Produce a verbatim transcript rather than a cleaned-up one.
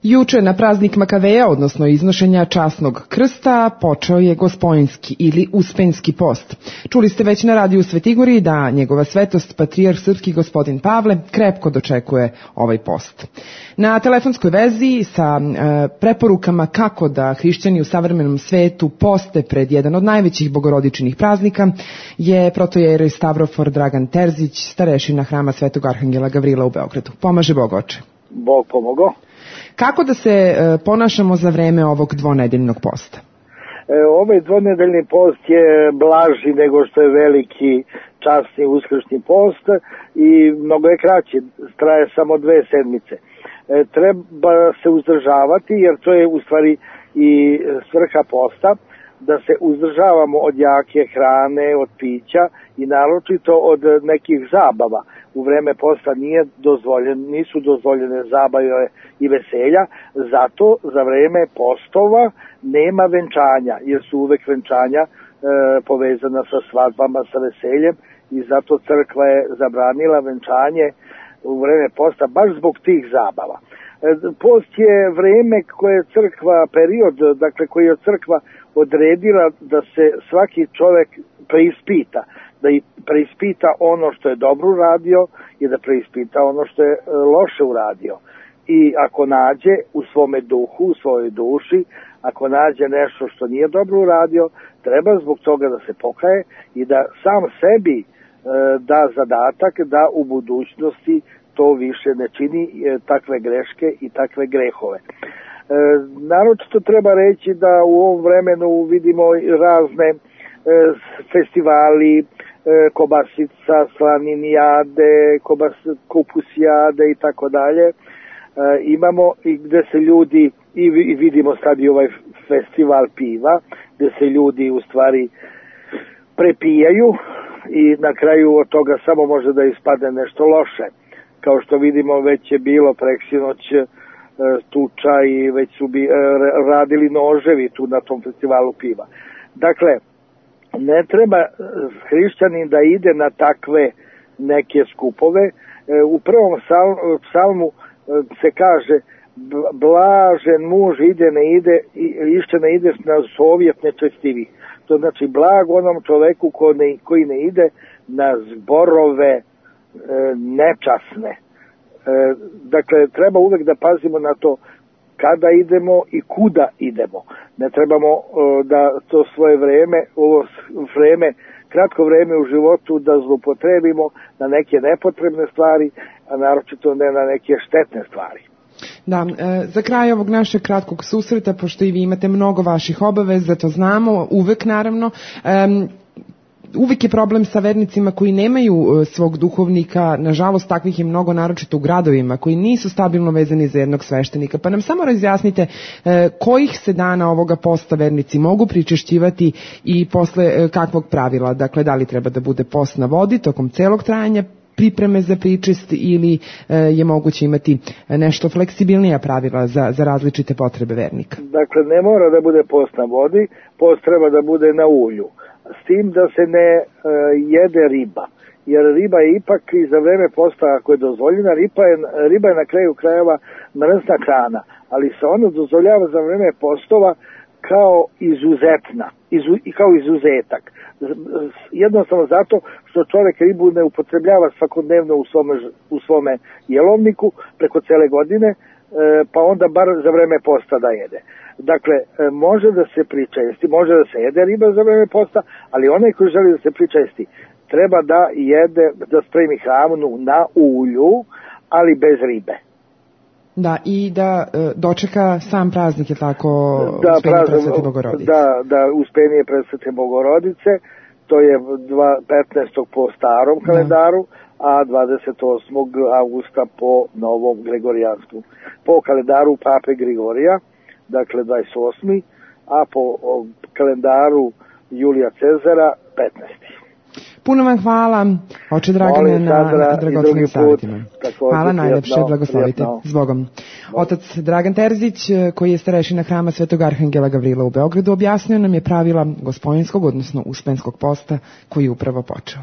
Juče na praznik Makaveja, odnosno iznošenja časnog krsta, počeo je Gospojinski ili Uspenski post. Čuli ste već na radiju Svetigoriji da njegova svetost, patrijarh srpski gospodin Pavle, krepko dočekuje ovaj post. Na telefonskoj vezi sa e, preporukama kako da hrišćani u savremenom svetu poste pred jedan od najvećih bogorodičnih praznika je protojerej Stavrofor Dragan Terzić, starešina hrama Svetog Arhangela Gavrila u Beogradu. Pomaže Bog, oče. Bog pomogao. Kako da se e, ponašamo za vreme ovog dvonedeljnog posta? E, ovaj dvonedeljni post je blaži nego što je veliki časni uskršnji post i mnogo je kraći, traje samo dve sedmice. E, treba se uzdržavati jer to je u stvari i svrha posta, da se uzdržavamo od jake hrane, od pića i naročito od nekih zabava. U vreme posta nije dozvoljen, nisu dozvoljene zabave i veselja, zato za vreme postova nema venčanja, jer su uvek venčanja e, povezana sa svadbama, sa veseljem i zato crkva je zabranila venčanje u vreme posta baš zbog tih zabava. E, post je vreme koje je crkva, period, dakle koji je crkva odredila da se svaki čovek preispita, da i preispita ono što je dobro uradio i da preispita ono što je loše uradio. I ako nađe u svome duhu, u svojoj duši, ako nađe nešto što nije dobro uradio, treba zbog toga da se pokaje i da sam sebi e, da zadatak da u budućnosti to više ne čini e, takve greške i takve grehove. E, naročito treba reći da u ovom vremenu vidimo razne e, festivali, kobasica, slaninijade, kobas, kupusijade i tako dalje. Imamo i gde se ljudi, i vidimo sad i ovaj festival piva, gde se ljudi u stvari prepijaju i na kraju od toga samo može da ispadne nešto loše. Kao što vidimo, već je bilo preksinoć tuča i već su bi, radili noževi tu na tom festivalu piva. Dakle, ne treba hrišćanin da ide na takve neke skupove. U prvom psalmu se kaže blažen muž ide ne ide, išće ne ide na sovjet nečestivih. To znači blag onom čoveku ko ne, koji ne ide na zborove nečasne. Dakle, treba uvek da pazimo na to kada idemo i kuda idemo. Ne trebamo uh, da to svoje vreme, ovo vreme, kratko vreme u životu da zlupotrebimo na neke nepotrebne stvari, a naročito ne na neke štetne stvari. Da, e, za kraj ovog našeg kratkog susreta, pošto i vi imate mnogo vaših obaveza, to znamo, uvek naravno, e, uvek je problem sa vernicima koji nemaju svog duhovnika, nažalost takvih je mnogo, naročito u gradovima, koji nisu stabilno vezani za jednog sveštenika. Pa nam samo razjasnite eh, kojih se dana ovoga posta vernici mogu pričešćivati i posle eh, kakvog pravila. Dakle, da li treba da bude post na vodi tokom celog trajanja pripreme za pričest ili eh, je moguće imati nešto fleksibilnija pravila za, za različite potrebe vernika? Dakle, ne mora da bude post na vodi, post treba da bude na ulju. S tim da se ne e, jede riba, jer riba je ipak i za vreme posta, ako je dozvoljena, riba je, riba je na kraju krajeva mrzna hrana, ali se ona dozvoljava za vreme postova kao izuzetna, izu, kao izuzetak. Jednostavno zato što čovjek ribu ne upotrebljava svakodnevno u svome, u svome jelovniku preko cele godine, e, pa onda bar za vreme posta da jede. Dakle, može da se pričesti, može da se jede riba za vreme posta, ali onaj koji želi da se pričesti treba da jede, da spremi hranu na ulju, ali bez ribe. Da, i da e, dočeka sam praznik, je tako, da, uspenje Presvete Bogorodice. Da, da, uspenje Presvete Bogorodice, to je petnaestog po starom kalendaru, da. A dvadeset osmog avgusta po novom gregorijanskom. Po kalendaru Pape Grigorija, dakle dvadeset osmi a po kalendaru Julija Cezara petnaesti Puno vam hvala, oče Dragane, na, na dragocenim savjetima. Hvala najlepše, blagoslovite. Zbogom. Otac Dragan Terzić, koji je starešina hrama Svetog Arhangela Gavrila u Beogradu, objasnio nam je pravila Gospojinskog, odnosno Uspenskog posta, koji je upravo počeo.